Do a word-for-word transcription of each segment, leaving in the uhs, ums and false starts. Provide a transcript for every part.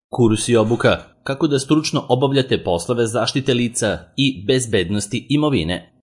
Kurs i obuka kako da stručno obavljate poslove zaštite lica i bezbednosti imovine.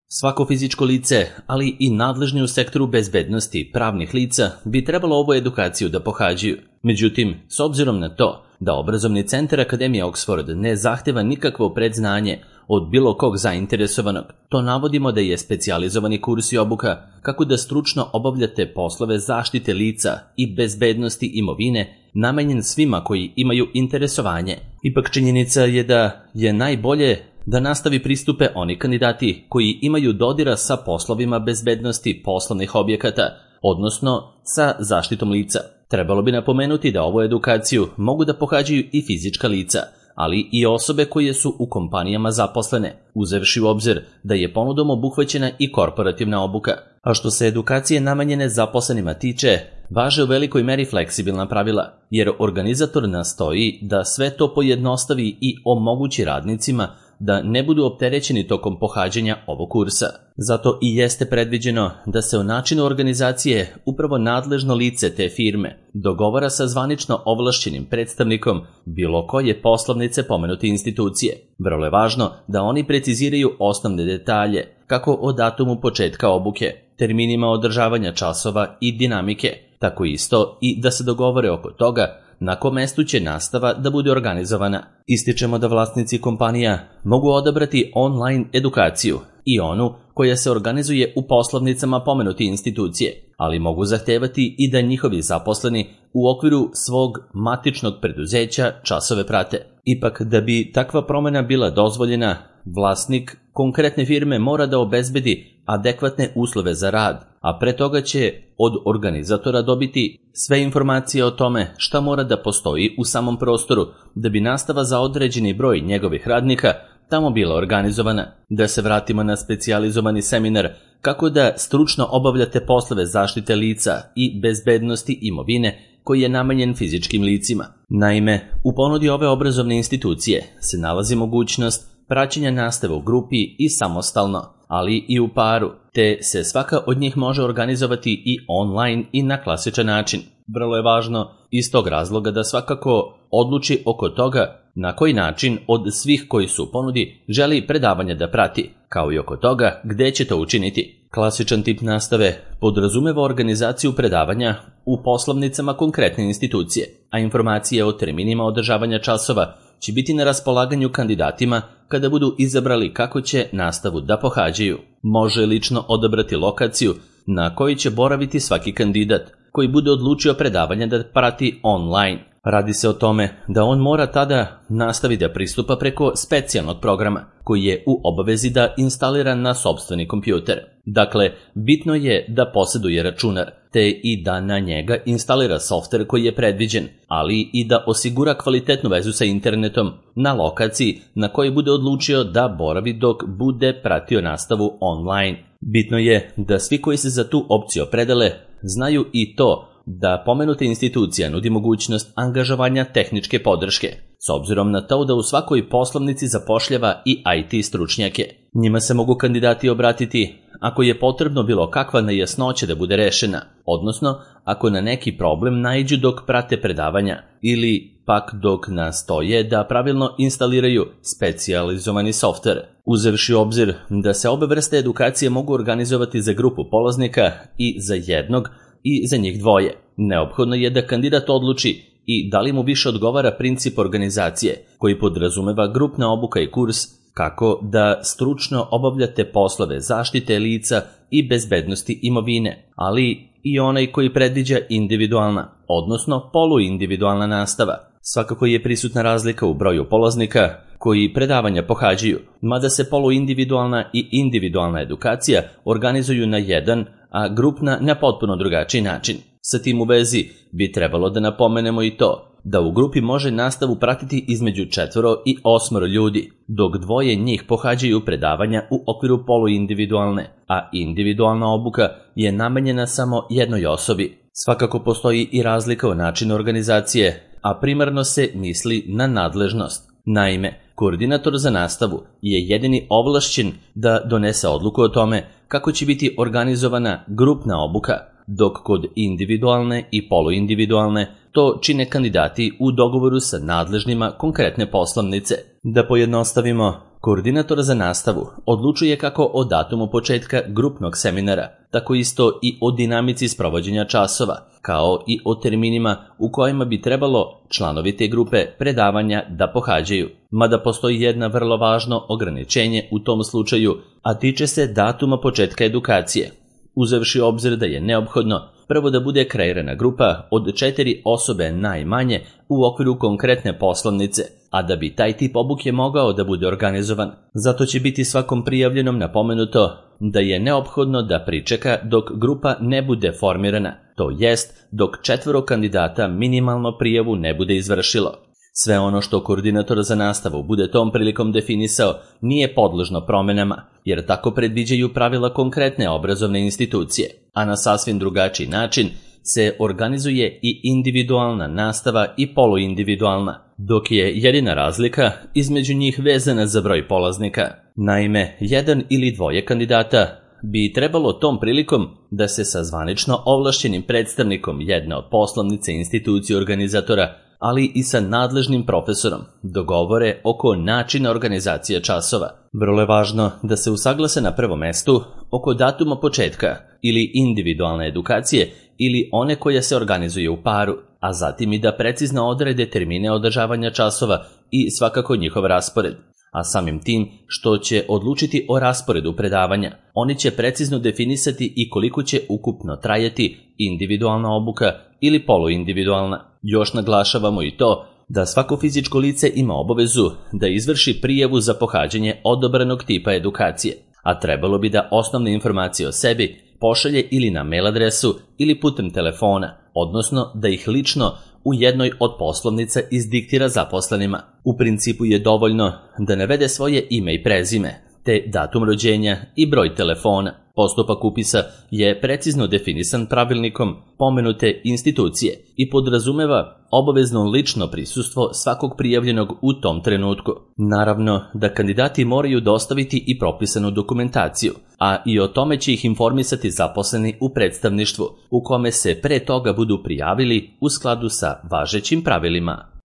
Svako fizičko lice, ali i nadležni u sektoru bezbednosti pravnih lica bi trebalo ovu edukaciju da pohađaju. Međutim, s obzirom na to da obrazovni centar Akademije Oxford ne zahteva nikakvo predznanje od bilo kog zainteresovanog, to navodimo da je specijalizovani kurs i obuka kako da stručno obavljate poslove zaštite lica i bezbednosti imovine namenjen svima koji imaju interesovanje. Ipak činjenica je da je najbolje da nastavi pristupe oni kandidati koji imaju dodira sa poslovima bezbednosti poslovnih objekata, odnosno sa zaštitom lica. Trebalo bi napomenuti da ovu edukaciju mogu da pohađaju i fizička lica, ali i osobe koje su u kompanijama zaposlene, uzevši u obzir da je ponudom obuhvaćena i korporativna obuka. A što se edukacije namenjene zaposlenima tiče, važe u velikoj meri fleksibilna pravila, jer organizator nastoji da sve to pojednostavi i omogući radnicima da ne budu opterećeni tokom pohađanja ovog kursa. Zato i jeste predviđeno da se o načinu organizacije upravo nadležno lice te firme dogovara sa zvanično ovlašćenim predstavnikom bilo koje poslovnice pomenute institucije. Vrlo je važno da oni preciziraju osnovne detalje, kako o datumu početka obuke, terminima održavanja časova i dinamike, tako isto i da se dogovore oko toga na kom mestu će nastava da bude organizovana. Ističemo da vlasnici kompanija mogu odabrati online edukaciju i onu koja se organizuje u poslovnicama pomenute institucije, ali mogu zahtevati i da njihovi zaposleni u okviru svog matičnog preduzeća časove prate. Ipak, da bi takva promena bila dozvoljena, vlasnik konkretne firme mora da obezbedi adekvatne uslove za rad, a pre toga će od organizatora dobiti sve informacije o tome šta mora da postoji u samom prostoru da bi nastava za određeni broj njegovih radnika tamo bila organizovana. Da se vratimo na specijalizovani seminar kako da stručno obavljate poslove zaštite lica i bezbednosti imovine koji je namenjen fizičkim licima. Naime, u ponudi ove obrazovne institucije se nalazi mogućnost praćenja nastave u grupi i samostalno, ali i u paru, te se svaka od njih može organizovati i online i na klasičan način. Vrlo je važno iz tog razloga da svakako odluči oko toga na koji način od svih koji su u ponudi želi predavanje da prati, kao i oko toga gde će to učiniti. Klasičan tip nastave podrazumeva organizaciju predavanja u poslovnicama konkretne institucije, a informacije o terminima održavanja časova će biti na raspolaganju kandidatima kada budu izabrali kako će nastavu da pohađaju. Može lično odabrati lokaciju na kojoj će boraviti svaki kandidat koji bude odlučio predavanje da prati online. Radi se o tome da on mora tada nastavi da pristupa preko specijalnog programa koji je u obavezi da instalira na sopstveni kompjuter. Dakle, bitno je da posjeduje računar, te i da na njega instalira softver koji je predviđen, ali i da osigura kvalitetnu vezu sa internetom na lokaciji na kojoj bude odlučio da boravi dok bude pratio nastavu online. Bitno je da svi koji se za tu opciju opredele znaju i to da pomenuta institucija nudi mogućnost angažovanja tehničke podrške, s obzirom na to da u svakoj poslovnici zapošljava i I T stručnjake. Njima se mogu kandidati obratiti ako je potrebno bilo kakva nejasnoća da bude rešena, odnosno ako na neki problem naiđu dok prate predavanja ili pak dok nastoje da pravilno instaliraju specijalizovani softver. Uzevši u obzir da se obe vrste edukacije mogu organizovati za grupu polaznika i za jednog i za njih dvoje, neophodno je da kandidat odluči i da li mu više odgovara princip organizacije koji podrazumeva grupna obuka i kurs kako da stručno obavljate poslove zaštite lica i bezbednosti imovine, ali i onaj koji predviđa individualna, odnosno poluindividualna nastava. Svakako je prisutna razlika u broju polaznika koji predavanja pohađaju, mada se poluindividualna i individualna edukacija organizuju na jedan, a grupna na potpuno drugačiji način. Sa tim u vezi bi trebalo da napomenemo i to da u grupi može nastavu pratiti između četvoro i osmoro ljudi, dok dvoje njih pohađaju predavanja u okviru poluindividualne, a individualna obuka je namenjena samo jednoj osobi. Svakako postoji i razlika u načinu organizacije, a primarno se misli na nadležnost. Naime, koordinator za nastavu je jedini ovlašćen da donese odluku o tome kako će biti organizovana grupna obuka, dok kod individualne i poluindividualne to čine kandidati u dogovoru sa nadležnima konkretne poslovnice. Da pojednostavimo, koordinator za nastavu odlučuje kako o datumu početka grupnog seminara, tako isto i o dinamici sprovođenja časova, kao i o terminima u kojima bi trebalo članovi te grupe predavanja da pohađaju. Mada postoji jedna vrlo važno ograničenje u tom slučaju, a tiče se datuma početka edukacije. Uzevši obzir da je neophodno prvo da bude kreirana grupa od četiri osobe najmanje u okviru konkretne poslovnice, a da bi taj tip obuke mogao da bude organizovan. Zato će biti svakom prijavljenom napomenuto da je neophodno da pričeka dok grupa ne bude formirana, to jest dok četvoro kandidata minimalno prijavu ne bude izvršilo. Sve ono što koordinator za nastavu bude tom prilikom definisao nije podložno promenama, jer tako predviđaju pravila konkretne obrazovne institucije, a na sasvim drugačiji način se organizuje i individualna nastava i poluindividualna, dok je jedina razlika između njih vezana za broj polaznika. Naime, jedan ili dvoje kandidata bi trebalo tom prilikom da se sa zvanično ovlašćenim predstavnikom jedne od poslovnice institucije organizatora, ali i sa nadležnim profesorom, dogovore oko načina organizacije časova. Vrlo je važno da se usaglase na prvom mestu oko datuma početka ili individualne edukacije ili one koja se organizuje u paru, a zatim i da precizno odrede termine održavanja časova i svakako njihov raspored. A samim tim što će odlučiti o rasporedu predavanja, oni će precizno definisati i koliko će ukupno trajati individualna obuka ili poluindividualna. Još naglašavamo i to da svako fizičko lice ima obavezu da izvrši prijavu za pohađanje odabranog tipa edukacije, a trebalo bi da osnovne informacije o sebi pošalje ili na mail adresu ili putem telefona, odnosno da ih lično u jednoj od poslovnica izdiktira zaposlenima. U principu je dovoljno da navede svoje ime i prezime, te datum rođenja i broj telefona. Postupak upisa je precizno definisan pravilnikom pomenute institucije i podrazumeva obavezno lično prisustvo svakog prijavljenog u tom trenutku. Naravno da kandidati moraju dostaviti i propisanu dokumentaciju, a i o tome će ih informisati zaposleni u predstavništvu, u kome se pre toga budu prijavili u skladu sa važećim pravilima.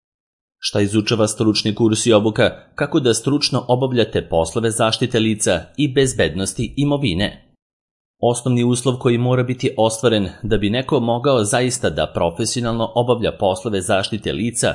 Šta izučava stručni kurs i obuka? Kako da stručno obavljate poslove zaštite lica i bezbednosti imovine? Osnovni uslov koji mora biti ostvaren da bi neko mogao zaista da profesionalno obavlja poslove zaštite lica,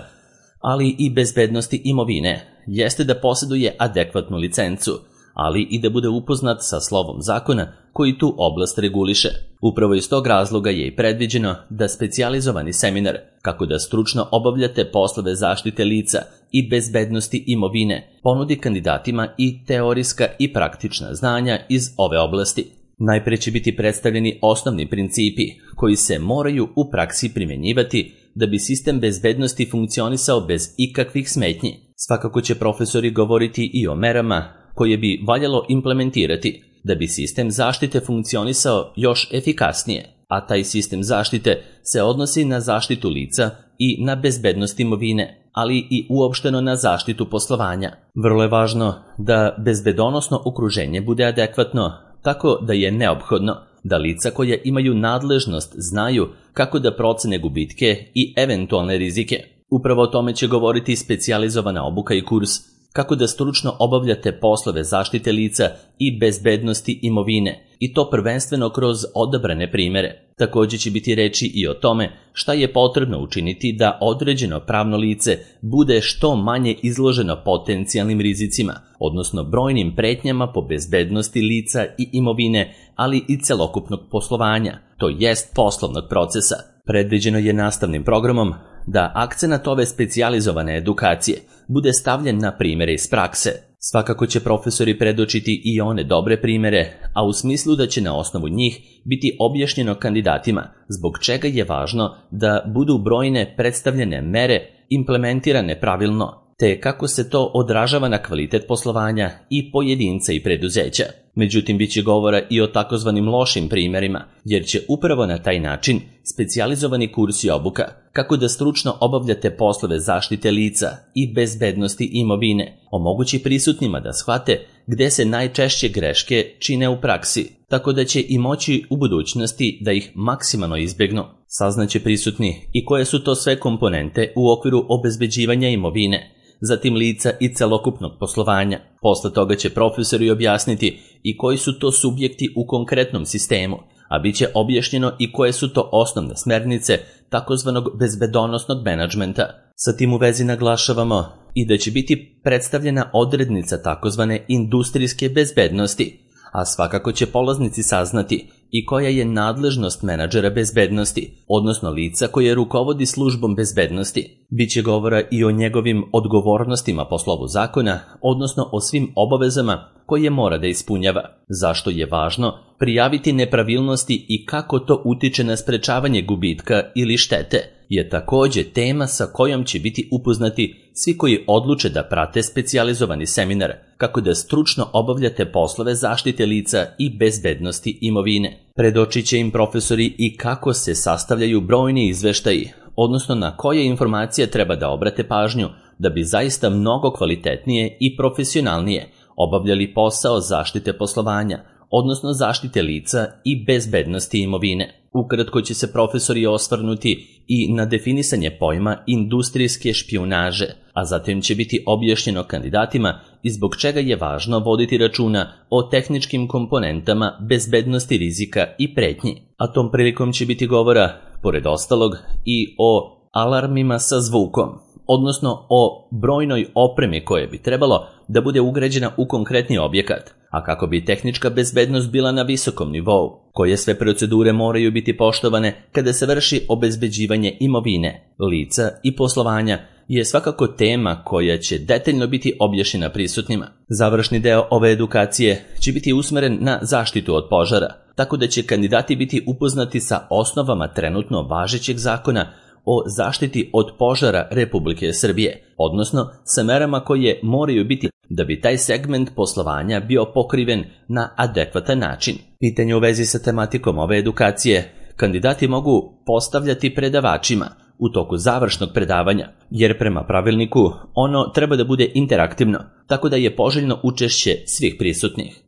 ali i bezbednosti imovine, jeste da posjeduje adekvatnu licencu, ali i da bude upoznat sa slovom zakona koji tu oblast reguliše. Upravo iz tog razloga je i predviđeno da specijalizovani seminar kako da stručno obavljate poslove zaštite lica i bezbednosti imovine ponudi kandidatima i teorijska i praktična znanja iz ove oblasti. Najpre će biti predstavljeni osnovni principi koji se moraju u praksi primjenjivati da bi sistem bezbednosti funkcionisao bez ikakvih smetnji. Svakako će profesori govoriti i o merama koje bi valjalo implementirati da bi sistem zaštite funkcionisao još efikasnije, a taj sistem zaštite se odnosi na zaštitu lica i na bezbednost imovine, ali i uopšteno na zaštitu poslovanja. Vrlo je važno da bezbedonosno okruženje bude adekvatno, tako da je neophodno da lica koja imaju nadležnost znaju kako da procene gubitke i eventualne rizike. Upravo o tome će govoriti specijalizovana obuka i kurs kako da stručno obavljate poslove zaštite lica i bezbednosti imovine, i to prvenstveno kroz odabrane primere. Također će biti reči i o tome šta je potrebno učiniti da određeno pravno lice bude što manje izloženo potencijalnim rizicima, odnosno brojnim pretnjama po bezbednosti lica i imovine, ali i celokupnog poslovanja, to jest poslovnog procesa. Predviđeno je nastavnim programom da akcenat ove specijalizovane edukacije bude stavljen na primere iz prakse. Svakako će profesori predočiti i one dobre primere, a u smislu da će na osnovu njih biti objašnjeno kandidatima zbog čega je važno da budu brojne predstavljene mere implementirane pravilno, te kako se to odražava na kvalitet poslovanja i pojedinca i preduzeća. Međutim, bit će govora i o takozvanim lošim primjerima, jer će upravo na taj način specijalizovani kurs i obuka kako da stručno obavljate poslove zaštite lica i bezbednosti imovine omogući prisutnima da shvate gde se najčešće greške čine u praksi, tako da će i moći u budućnosti da ih maksimalno izbjegnu. Saznaće prisutni i koje su to sve komponente u okviru obezbeđivanja imovine, zatim lica i celokupnog poslovanja. Posle toga će profesori objasniti i koji su to subjekti u konkretnom sistemu, a bit će objašnjeno i koje su to osnovne smernice takozvanog bezbedonosnog menadžmenta. Sa tim u vezi naglašavamo i da će biti predstavljena odrednica takozvane industrijske bezbednosti, a svakako će polaznici saznati i koja je nadležnost menadžera bezbednosti, odnosno lica koje rukovodi službom bezbednosti. Biće govora i o njegovim odgovornostima po slovu zakona, odnosno o svim obavezama koje mora da ispunjava, zašto je važno prijaviti nepravilnosti i kako to utiče na sprečavanje gubitka ili štete, je takođe tema sa kojom će biti upoznati svi koji odluče da prate specijalizovani seminar, kako da stručno obavljate poslove zaštite lica i bezbednosti imovine. Predočit će im profesori i kako se sastavljaju brojni izveštaji, odnosno na koje informacije treba da obrate pažnju da bi zaista mnogo kvalitetnije i profesionalnije obavljali posao zaštite poslovanja, odnosno zaštite lica i bezbednosti imovine. Ukratko će se profesori osvrnuti i na definisanje pojma industrijske špijunaže, a zatim će biti objašnjeno kandidatima i zbog čega je važno voditi računa o tehničkim komponentama bezbednosti rizika i pretnji. A tom prilikom će biti govora, pored ostalog, i o alarmima sa zvukom, odnosno o brojnoj opremi koje bi trebalo da bude ugrađena u konkretni objekat, a kako bi tehnička bezbednost bila na visokom nivou, koje sve procedure moraju biti poštovane kada se vrši obezbeđivanje imovine, lica i poslovanja, je svakako tema koja će detaljno biti objašnjena prisutnima. Završni deo ove edukacije će biti usmeren na zaštitu od požara, tako da će kandidati biti upoznati sa osnovama trenutno važećeg zakona o zaštiti od požara Republike Srbije, odnosno sa merama koje moraju biti da bi taj segment poslovanja bio pokriven na adekvatan način. Pitanje u vezi sa tematikom ove edukacije kandidati mogu postavljati predavačima u toku završnog predavanja, jer prema pravilniku ono treba da bude interaktivno, tako da je poželjno učešće svih prisutnih.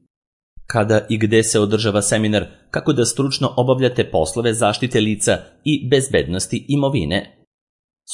Kada i gde se održava seminar, kako da stručno obavljate poslove zaštite lica i bezbednosti imovine?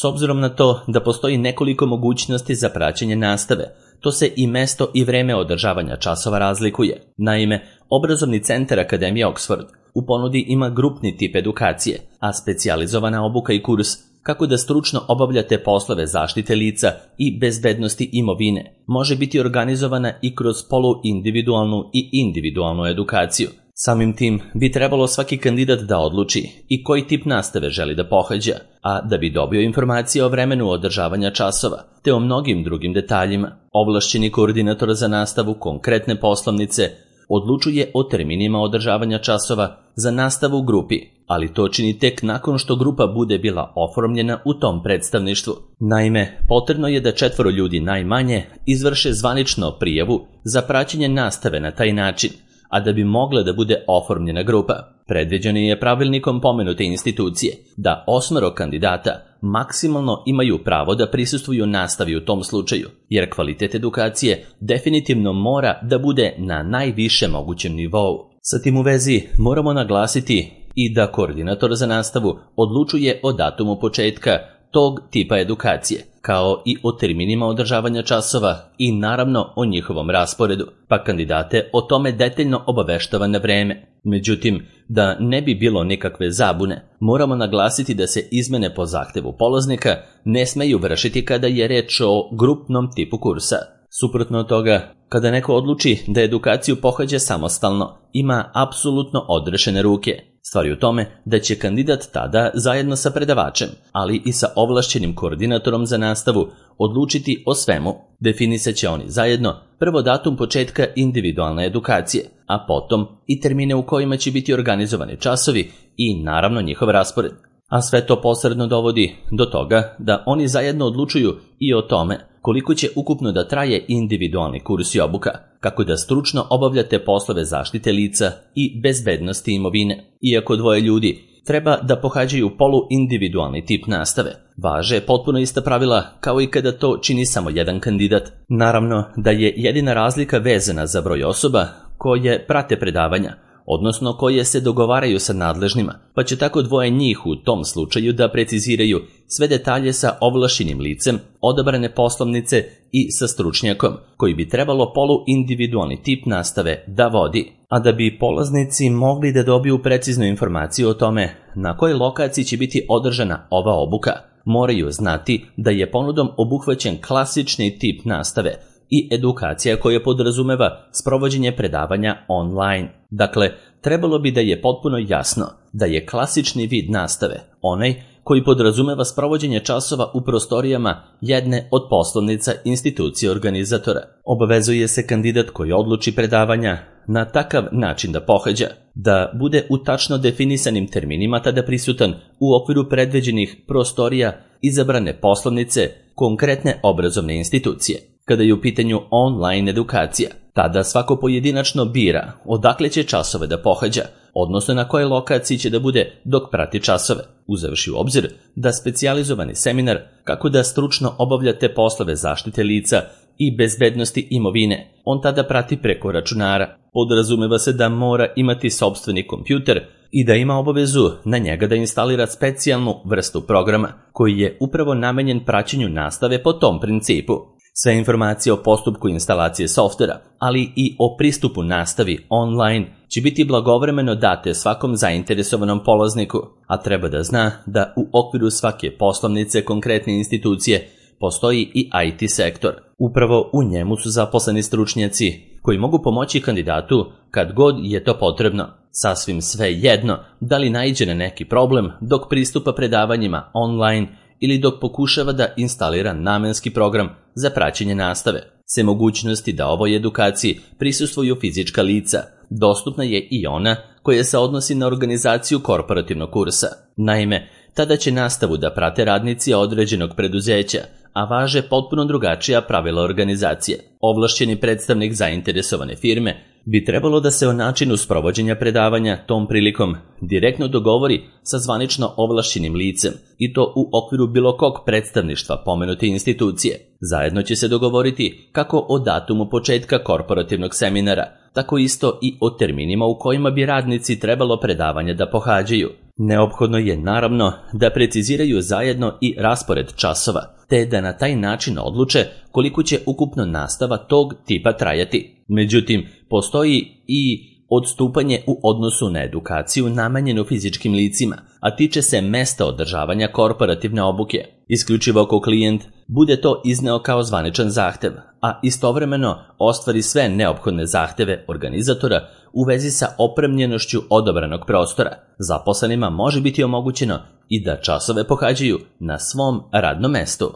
S obzirom na to da postoji nekoliko mogućnosti za praćenje nastave, to se i mesto i vreme održavanja časova razlikuje. Naime, obrazovni centar Akademije Oxford u ponudi ima grupni tip edukacije, a specijalizovana obuka i kurs kako da stručno obavljate poslove zaštite lica i bezbednosti imovine može biti organizovana i kroz poluindividualnu i individualnu edukaciju. Samim tim bi trebalo svaki kandidat da odluči i koji tip nastave želi da pohađa, a da bi dobio informacije o vremenu održavanja časova, te o mnogim drugim detaljima, ovlašćeni koordinator za nastavu konkretne poslovnice odlučuje o terminima održavanja časova za nastavu u grupi, ali to čini tek nakon što grupa bude bila oformljena u tom predstavništvu. Naime, potrebno je da četvoro ljudi najmanje izvrše zvanično prijavu za praćenje nastave na taj način, a da bi mogla da bude oformljena grupa. Predviđeno je pravilnikom pomenute institucije da osmero kandidata maksimalno imaju pravo da prisustvuju nastavi u tom slučaju, jer kvalitet edukacije definitivno mora da bude na najviše mogućem nivou. Sa tim u vezi moramo naglasiti i da koordinator za nastavu odlučuje o datumu početka tog tipa edukacije, kao i o terminima održavanja časova i naravno o njihovom rasporedu, pa kandidate o tome detaljno obaveštava na vreme. Međutim, da ne bi bilo nikakve zabune, moramo naglasiti da se izmene po zahtevu polaznika ne smeju vršiti kada je reč o grupnom tipu kursa. Suprotno od toga, kada neko odluči da edukaciju pohađa samostalno, ima apsolutno odrešene ruke. Stvar je u tome da će kandidat tada zajedno sa predavačem, ali i sa ovlašćenim koordinatorom za nastavu, odlučiti o svemu. Definisat će oni zajedno prvo datum početka individualne edukacije, a potom i termine u kojima će biti organizovani časovi i naravno njihov raspored. A sve to posredno dovodi do toga da oni zajedno odlučuju i o tome koliko će ukupno da traje individualni kurs i obuka, kako da stručno obavljate poslove zaštite lica i bezbednosti imovine. Iako dvoje ljudi treba da pohađaju poluindividualni tip nastave, važe potpuno ista pravila kao i kada to čini samo jedan kandidat. Naravno da je jedina razlika vezana za broj osoba koje prate predavanja, odnosno koje se dogovaraju sa nadležnima, pa će tako dvoje njih u tom slučaju da preciziraju sve detalje sa ovlašćenim licem, odabrane poslovnice i sa stručnjakom, koji bi trebalo poluindividualni tip nastave da vodi. A da bi polaznici mogli da dobiju preciznu informaciju o tome na kojoj lokaciji će biti održana ova obuka, moraju znati da je ponudom obuhvaćen klasični tip nastave i edukacija koja podrazumeva sprovođenje predavanja online. Dakle, trebalo bi da je potpuno jasno da je klasični vid nastave onaj koji podrazumeva sprovođenje časova u prostorijama jedne od poslovnica institucije organizatora. Obavezuje se kandidat koji odluči predavanja na takav način da pohađa, da bude u tačno definisanim terminima tada prisutan u okviru predviđenih prostorija izabrane poslovnice konkretne obrazovne institucije. Kada je u pitanju online edukacija, tada svako pojedinačno bira odakle će časove da pohađa, odnosno na kojoj lokaciji će da bude dok prati časove, uzevši u obzir da specijalizovani seminar kako da stručno obavljate poslove zaštite lica i bezbednosti imovine, on tada prati preko računara. Podrazumeva se da mora imati sopstveni kompjuter i da ima obavezu na njega da instalira specijalnu vrstu programa koji je upravo namenjen praćenju nastave po tom principu. Sve informacije o postupku instalacije softvera, ali i o pristupu nastavi online će biti blagovremeno date svakom zainteresovanom polazniku, a treba da zna da u okviru svake poslovnice konkretne institucije postoji i I T sektor. Upravo u njemu su zaposleni stručnjaci koji mogu pomoći kandidatu kad god je to potrebno. Sasvim sve jedno da li naiđe na neki problem dok pristupa predavanjima online ili dok pokušava da instalira namenski program za praćenje nastave. Se mogućnosti da ovoj edukaciji prisustvuju fizička lica, dostupna je i ona koja se odnosi na organizaciju korporativnog kursa. Naime, tada će nastavu da prate radnici određenog preduzeća, a važe potpuno drugačija pravila organizacije. Ovlašćeni predstavnik zainteresovane firme bi trebalo da se o načinu sprovođenja predavanja tom prilikom direktno dogovori sa zvanično ovlašćenim licem i to u okviru bilo kog predstavništva pomenute institucije. Zajedno će se dogovoriti kako o datumu početka korporativnog seminara, tako isto i o terminima u kojima bi radnici trebalo predavanje da pohađaju. Neophodno je naravno da preciziraju zajedno i raspored časova, te da na taj način odluče koliko će ukupno nastava tog tipa trajati. Međutim, postoji i odstupanje u odnosu na edukaciju namenjenu fizičkim licima, a tiče se mesta održavanja korporativne obuke. Isključivo ako klijent bude to izneo kao zvaničan zahtev, a istovremeno ostvari sve neophodne zahteve organizatora u vezi sa opremljenošću odabranog prostora, zaposlenima može biti omogućeno i da časove pohađaju na svom radnom mestu.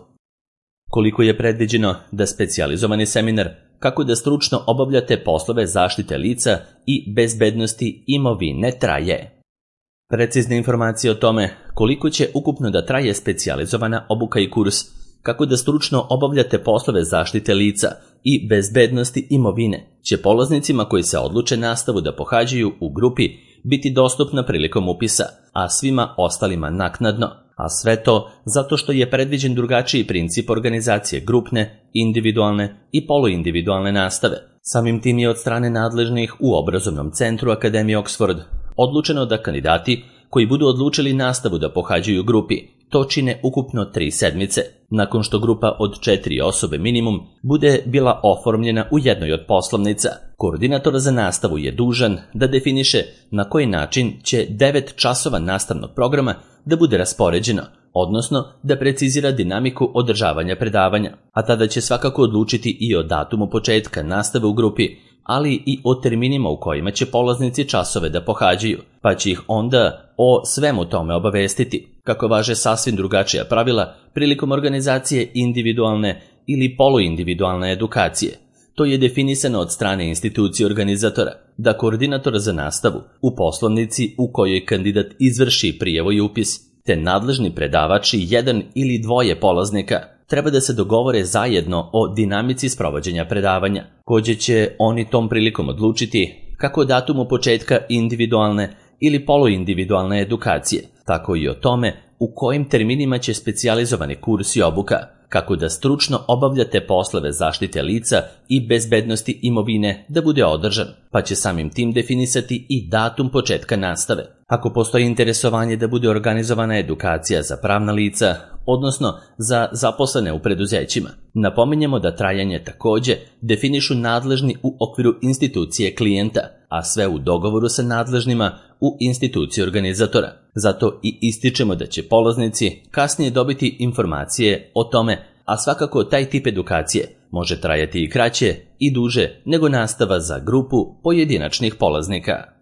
Koliko je predviđeno da specijalizovani seminar kako da stručno obavljate poslove zaštite lica i bezbednosti imovine traje. Precizne informacije o tome koliko će ukupno da traje specijalizovana obuka i kurs kako da stručno obavljate poslove zaštite lica i bezbednosti imovine će polaznicima koji se odluče nastavu da pohađaju u grupi biti dostupna prilikom upisa, a svima ostalima naknadno. A sve to zato što je predviđen drugačiji princip organizacije grupne, individualne i poluindividualne nastave. Samim tim je od strane nadležnih u obrazovnom centru Akademije Oxford odlučeno da kandidati koji budu odlučili nastavu da pohađaju u grupi to čine ukupno tri sedmice, nakon što grupa od četiri osobe minimum bude bila oformljena u jednoj od poslovnica. Koordinator za nastavu je dužan da definiše na koji način će devet časova nastavnog programa da bude raspoređeno, odnosno da precizira dinamiku održavanja predavanja, a tada će svakako odlučiti i o datumu početka nastave u grupi, ali i o terminima u kojima će polaznici časove da pohađaju, pa će ih onda o svemu tome obavestiti, kako važe sasvim drugačija pravila prilikom organizacije individualne ili poluindividualne edukacije. To je definisano od strane institucije organizatora, da koordinator za nastavu u poslovnici u kojoj kandidat izvrši prijavu i upis, te nadležni predavači jedan ili dvoje polaznika treba da se dogovore zajedno o dinamici sprovođenja predavanja. Također će oni tom prilikom odlučiti kako o datumu početka individualne ili poluindividualne edukacije, tako i o tome u kojim terminima će specijalizovani kurs i obuka, kako da stručno obavljate poslove zaštite lica i bezbednosti imovine da bude održan, pa će samim tim definisati i datum početka nastave. Ako postoji interesovanje da bude organizovana edukacija za pravna lica, odnosno za zaposlene u preduzećima, napominjemo da trajanje također definišu nadležni u okviru institucije klijenta, a sve u dogovoru sa nadležnima u instituciji organizatora. Zato i ističemo da će polaznici kasnije dobiti informacije o tome, a svakako taj tip edukacije može trajati i kraće i duže nego nastava za grupu pojedinačnih polaznika.